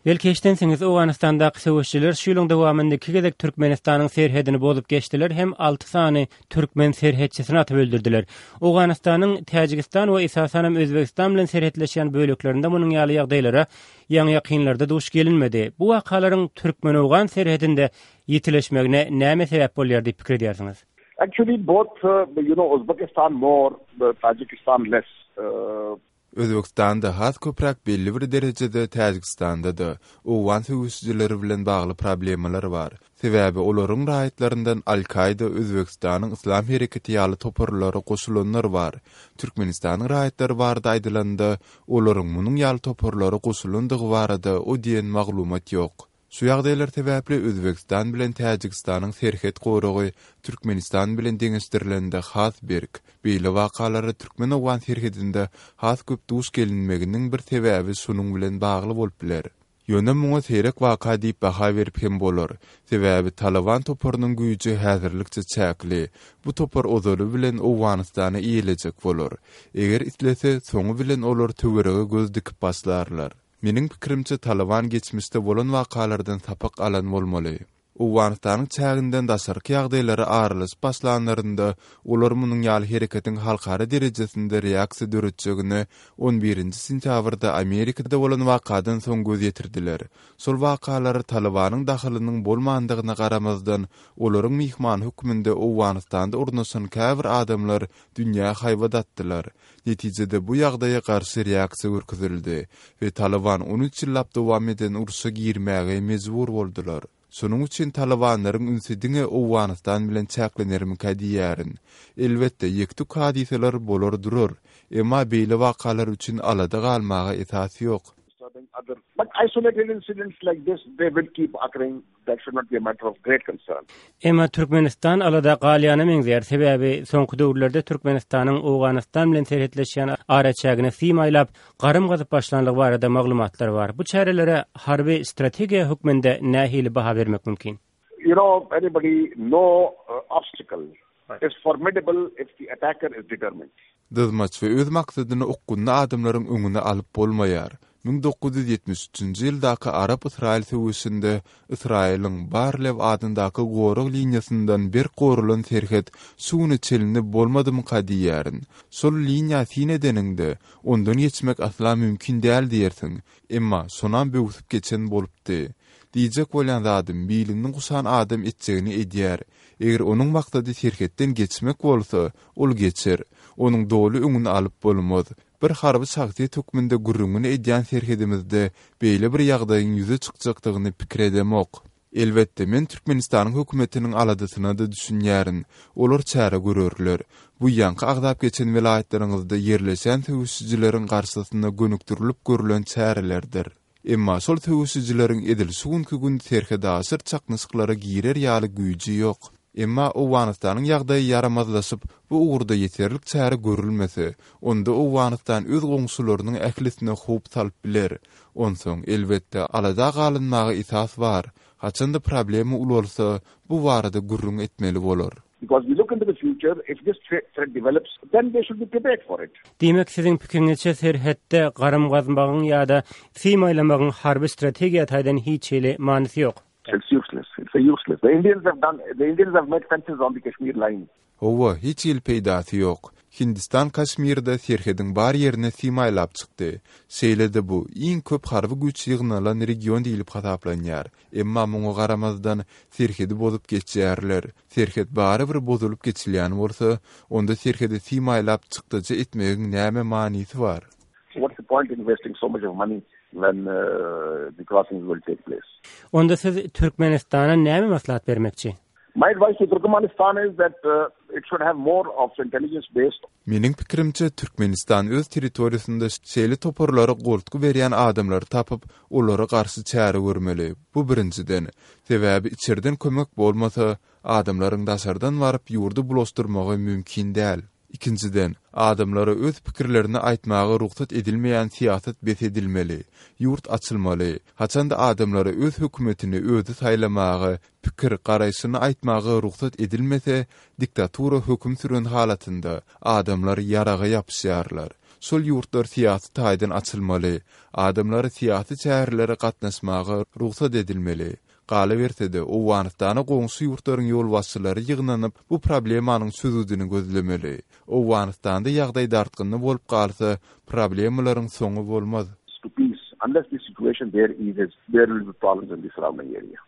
Belki eşdensiňiz, Owganystandaky söweşijiler şu ýylyň dowamynda iki gezek Türkmenistanyň serhedini bozup geçdiler hem alty sany türkmen serhetçisini atyp öldürdiler. Owganystanyň Täjigistan we esasanam Özbegistan bilen serhetleşýän böleklerinde munuň ýaly ýagdaýlara ýaňy-ýakynlarda duş gelinmedi. Bu wakalaryň türkmen-owgan serhedinde ýitileşmegine näme sebäp bolýar diýip pikir edýärsiňiz? Actually both, you know, Uzbekistan more, Tajikistan less. Özbegistanda has köpräk belli bir derejede Täjigistanda-da owgan söweşijileri bilen bagly problemalar bar. Sebäbi olaryň raýatlaryndan Al-Kaida, Özbegistanyň Yslam hereketi ýaly toparlara goşulanlar bar. Türkmenistanyň raýatlary barada aýdylanda, olaryň munuň ýaly toparlara goşulandygy barada o diýen maglumat ýok. Şu ýagdaýlar sebäpli Özbegistan bilen Täjigistanyň serhet goragy Türkmenistan bilen deňeşdirilende has berk. Beýle wakalara türkmen-owgan serhedinde has köp duş gelinmeginiň bir sebäbi şunuň bilen bagly bolup biler. Ýöne muňa seýrek waka diýip baha berip hem bolar. Sebäbi Talyban toparynyň güýji häzirlikçe çäkli. Bu topar ozaly bilen Owganystany eýelejek bolar. Eger islese, soňy bilen olar töwerege göz dikip başlarlar. Meniň pikirimçe Talyban geçmişde bolan wakalardan sapak alan bolmaly. Owganystanyň çäginden daşarky ýagdaýlara aralaşyp başlanlarynda olar munuň ýaly hereketiň halkara derejesinde reaksiýa döretjegine on birinji sentýabrda Amerikada bolan wakadan soň göz ýetirdiler. Şol wakalara Talybanyň dahylynyň bolmandygyna garamazdan, olaryň myhmany hökmünde Owganystanda ornaşan käbir adamlar dünýä haýbat atdylar. Netijede bu ýagdaýa garşy reaksiýa görkezildi we Talyban on üç ýyllap dowam eden urşa girmäge mejbur boldular. Şonuň üçin talybanlaryň ünsi diňe Owganystan bilen çäklenermikä diýýärin. Elbetde, ýek-tük hadysalar bolar durar, emma beýle wakalar üçin alada galmaga esas ýok. But isolated incidents like this, they will keep occurring. That should not be a matter of great concern. Emma Türkmenistan alada galýana meňzeýär, sebäbi soňky döwürlerde Türkmenistanyň Owganystan bilen serhetleşýän araçägine sim aýlap, garym gazyp başlanlygy barada maglumatlar bar. Bu çärelere harby strategiýa hökmünde nähili baha bermek mümkin? You know, anybody, no obstacle is formidable if the attacker is determined. Dyzmaç we öz maksadyna okgunly adamlaryň öňüni alyp bolmaýar. 1973-nji ýyldaky arap-ysraýyl söweşinde Ysraýylyň Bar-Lew adyndaky gorag liniýasyndan berk goralan serhet şu güne çenli bolmadymyka diýýärin. Şol liniýa syn edeniňde, ondan geçmek asla mümkin däl diýersiň. Emma şonam böwsüp geçen bolupdy. Diýjek bolýan zadym, bilini guşan adam etjegini edýär. Eger onuň maksady serhetden geçmek bolsa, ol geçer. Onuň doly öňüni alyp bolmaz. Bir harby şahsyýet hökmünde gürrüňini edýän serhedimizde beýle bir ýagdaýyň ýüze çykjakdygyny pikir edemok. Elbetde, men Türkmenistanyň hökümetiniň aladasyna-da düşünýärin. Olar çäre görerler. Bu ýaňky agzap geçen welaýatlaryňyzda ýerleşen söweşijileriň garşysyna gönükdirilip görlen çärelerdir. Emma şol söweşijileriň edil şu günki gün serhetaşyr çaknyşyklara girer ýaly güýji ýok. Emma Owganystanyň ýagdaýy ýaramazlaşyp, bu ugurda ýeterlik çäre görülmese, onda Owganystan öz goňşularynyň ählisine howp salyp biler. Onsoň, elbetde, alada galynmaga esas bar. Haçan-da problema ulalsa, bu barada gürrüň etmeli bolar. Because we look into the future, if this threat develops, then they should be prepared for it. Diýmek, siziň pikiriňizçe serhetde garym gazmagyň ýa-da sim aýlamagyň harby strategiýa taýdan hiç hili manysy ýok. It's useless. It's a useless. The Indians have done, the Indians have made fences on the Kashmir line. Hawa, hiç hili peýdasy ýok. Hindistan Kaşmirde serhediň bar ýerine sim aýlap çykdy. Şeýle-de bu, iň köp harby güýç ýygnalan region diýlip hasaplanýar. Emma muňa garamazdan, serhedi bozup geçýärler. Serhet barybir bozulyp geçilýän bolsa, onda serhede sim aýlap çykdajy etmegiň näme manysy bar? What's the point in wasting so much of money when the crossings will take place? Onda siz Türkmenistana näme maslahat bermekçi? My advice to Turkmenistan is that it should have more of intelligence based. Meniň pikirimçe, Türkmenistan öz territoriýasynda şeýle toparlara goltgy berýän adamlary tapyp, olara garşy çäre görmeli. Bu birinjiden. Sebäbi içerden kömek bolmasa, adamlaryň daşardan baryp ýurdy bulaşdyrmagy mümkin däl. Ikinjiden, adamlara öz pikirlerini aýtmaga rugsat edilmeýän syýasat bes edilmeli. Ýurt açylmaly. Haçanda adamlara öz hökümetini özi saýlamaga, pikir, garaýşyny aýtmaga rugsat edilmese, diktatura höküm süren halatynda, adamlar ýaraga ýapyşýarlar. Şol ýurtlar syýasy taýdan açylmaly. Adamlara syýasy çärelere gatnaşmaga rugsat edilmeli. Galyberse-de, Owganystana goňşy ýurtlaryň ýolbaşçylary ýygnanyp, bu problemanyň çözgüdini gözlemeli. Owganystanda ýagdaý dartgynly bolup galsa, problemalaryň soňy bolmaz. To peace, unless the situation there eases, there will be problems in the surrounding area.